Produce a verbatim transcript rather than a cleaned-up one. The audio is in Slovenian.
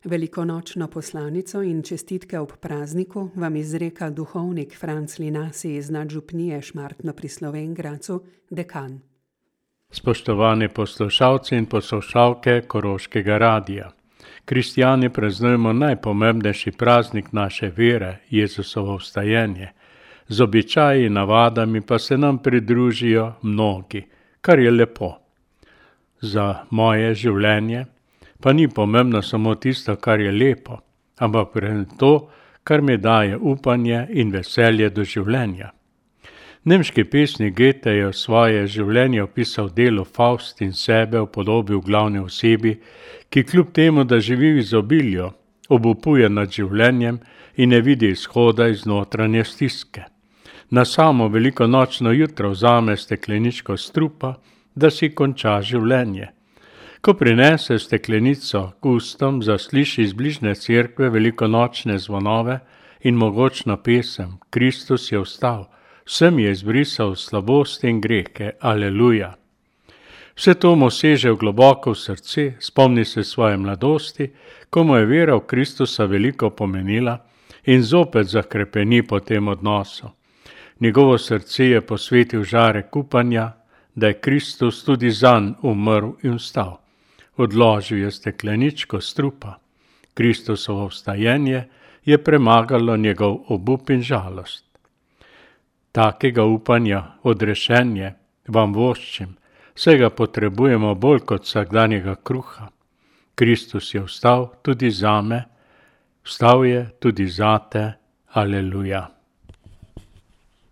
Velikonočno poslanico in čestitke ob prazniku vam izreka duhovnik Franc Linasi iz nadžupnije Šmartno pri Slovenj Gradcu, dekan. Spoštovani poslušalci in poslušalke Koroškega radija. Kristjani praznujemo najpomembnejši praznik naše vere, Jezusovo vstajenje. Z običaji in navadami pa se nam pridružijo mnogi, kar je lepo. Za moje življenje pa ni pomembno samo tisto, kar je lepo, ampak predvsem to, kar mi daje upanje in veselje do življenja. Nemški pesnik Goethe je svoje življenje opisal delu Faust in sebe v podobi v glavni osebi, ki kljub temu, da živi v izobilju, obupuje nad življenjem in ne vidi izhoda iz notranje stiske. Na samo velikonočno jutro vzame stekleničko strupa, da si konča življenje. Ko prinese steklenico k ustom, zasliši iz bližnje cerkve velikonočne zvonove in mogočno pesem Kristus je vstal, vsem je izbrisal slabosti in grehe, aleluja. Vse to mu seže v globoko v srce, spomni se svoje mladosti, ko mu je vera v Kristusa veliko pomenila in zopet zakrepeni po tem odnosu. Njegovo srce je posvetil žarek upanja, da je Kristus tudi zanj umrl in vstal. Odložil je stekleničko strupa. Kristusovo vstajenje je premagalo njegov obup in žalost. Takega upanja, odrešenje, vam voščim, saj ga potrebujemo bolj kot vsakdanjega kruha. Kristus je vstal tudi zame, vstal je tudi zate, aleluja.